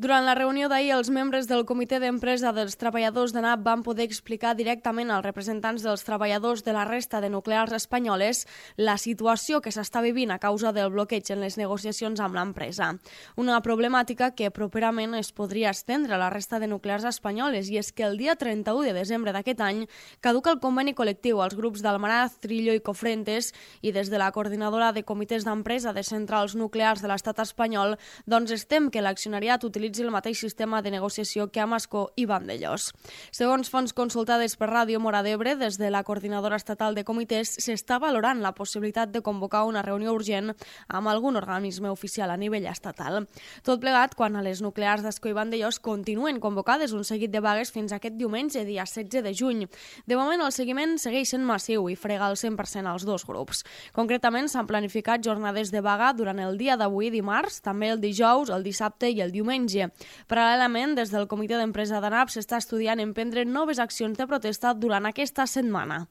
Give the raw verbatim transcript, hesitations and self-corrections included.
Durant la reunió d'ahir, els membres del comitè d'empresa dels treballadors de NAP van poder explicar directament als representants dels treballadors de la resta de nuclears espanyoles la situació que s'està vivint a causa del bloqueig en les negociacions amb l'empresa. Una problemàtica que properament es podria estendre a la resta de nuclears espanyoles, i és que el dia trenta-u de desembre d'aquest any caduca el conveni col·lectiu als grups d'Almaraz, Trillo i Cofrentes, i des de la coordinadora de comitès d'empresa de centrals nuclears de l'estat espanyol doncs estem que l'accionariat utilitzi el mateix sistema de negociació que Amasco i Vandellós. Segons fonts consultades per Ràdio Mora d'Ebre, des de la coordinadora estatal de comitès s'està valorant la possibilitat de convocar una reunió urgent amb algun organisme oficial a nivell estatal. Tot plegat quan a les nuclears d'Ascó i Vandellós continuen convocades un seguit de vagues fins aquest diumenge, dia setze de juny. De moment el seguiment segueix sent massiu i frega el cent per cent als dos grups. Concretament s'han planificat jornades de vaga durant el dia d'avui, dimarts, també el dijous, el dissabte i el diumenge. Paral·lelament, des del comitè d'empresa de NAP s'està estudiant emprendre noves accions de protesta durant aquesta setmana.